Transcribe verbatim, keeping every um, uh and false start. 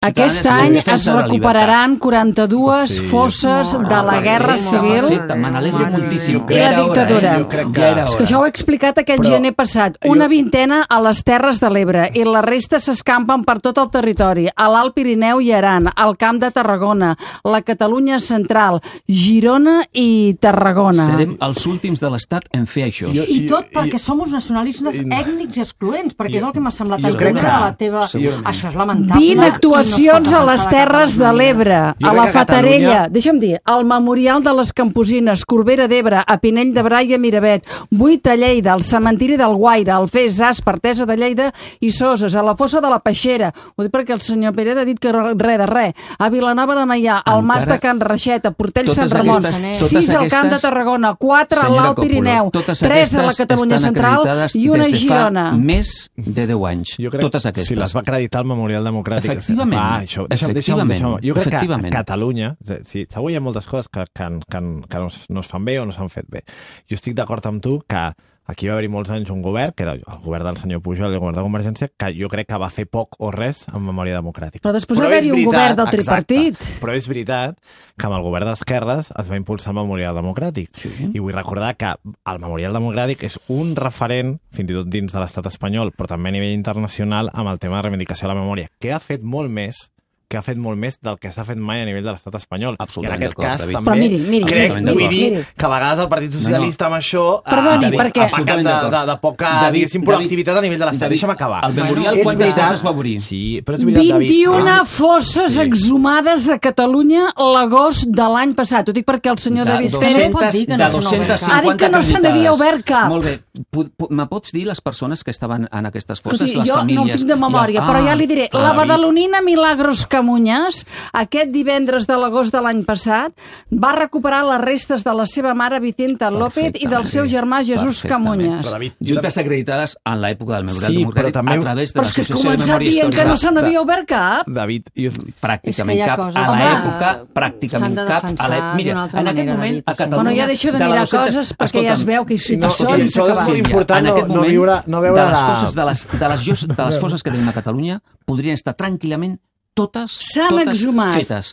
Aquest any es recuperaran quaranta-dues fosses de la Guerra Civil i la dictadura. És que això ho he explicat aquest gener passat. Una vintena a les Terres de l'Ebre i la resta s'escampen per tot el territori, a l'Alt Pirineu i Aran, al Camp de Tarragona, la Catalunya Central, Girona i Tarragona. Serem els últims de l'Estat en fer això. I tot perquè som uns nacionalistes ètnics i excloents, perquè és el que m'ha semblat entendre de la teva... Això és lamentable. vint actuacions a les Terres de l'Ebre, a la Fatarella, deixa'm dir, al Memorial de les Camposines, Corbera d'Ebre, a Pinell de Brai i a Miravet, vuit a Lleida, al cementiri del Guaire, al Fes, Aspa, Artesa de Lleida i Soses, a la fossa de la Peixera, ho dic perquè el senyor Pérez ha dit que res de res, a Vilanova de Meià, al Mas de Can Reixet, a Portell Sant Ramon, sis al Camp de Tarragona, quatre a l'Alt Pirineu, tres a la Catalunya Central i una a Girona. Més de deu anys. Totes aquestes. Si les va acreditar el Memorial Democràtic. Efectivament. Ah, això, deixa'm, deixa'm, deixa'm. Jo crec que a Catalunya, sí, segur hi ha moltes coses que, que, que, que no, es, no es fan bé o no s'han fet bé. Jo estic d'acord amb tu que aquí va haver-hi molts anys un govern, que era el govern del senyor Pujol i el govern de Convergència, que jo crec que va fer poc o res en memòria democràtica. Però després va haver-hi un govern del tripartit. Exacte, però és veritat que amb el govern d'esquerres es va impulsar el Memorial Democràtic. Sí. I vull recordar que el Memorial Democràtic és un referent, fins i tot dins de l'estat espanyol, però també a nivell internacional, amb el tema de reivindicació de la memòria, que ha fet molt més que ha fet molt més del que s'ha fet mai a nivell de l'estat espanyol. Absolutament. I en aquest cas, David. també, miri, miri, crec, miri, vull dir miri. que a vegades el Partit Socialista amb això Perdoni, ha, perquè... ha pecat de, de, de poca, diguéssim, proactivitat a nivell de l'estat. Deixa'm acabar. El memorial, quantes fosses va obrir? Sí, però és veritat, David. vint-i-una fosses sí. exhumades a Catalunya l'agost de l'any passat. Ho dic perquè el senyor de David Pérez Pérez de dos-centes cinquanta ha dit que no se n'havia obert cap. Molt bé. Me pots dir les persones que estaven en aquestes fosses, Escolti, les jo famílies? Jo no ho tinc de memòria, ah, però ja li diré. Ah, la badalonina Milagros Camuñas, aquest divendres de l'agost de l'any passat, va recuperar les restes de la seva mare Vicenta López i del seu germà Jesús Camuñas. Juntes acreditades en l'època del Memorial sí, Democràtic també... a través de però l'Associació de Memòria Històrica. Però és que començat dient que no se n'havia obert cap. David, jo... Pràcticament cap. A l'època, pràcticament cap. A Mira, en aquest moment a Catalunya... Bueno, ja deixo de mirar coses perquè ja es veu que hi són i s'ha acabat. És important no viure... De les coses, de les, de les, de les fosses que tenim a Catalunya, podrien estar tranquil·lament totes, totes fetes.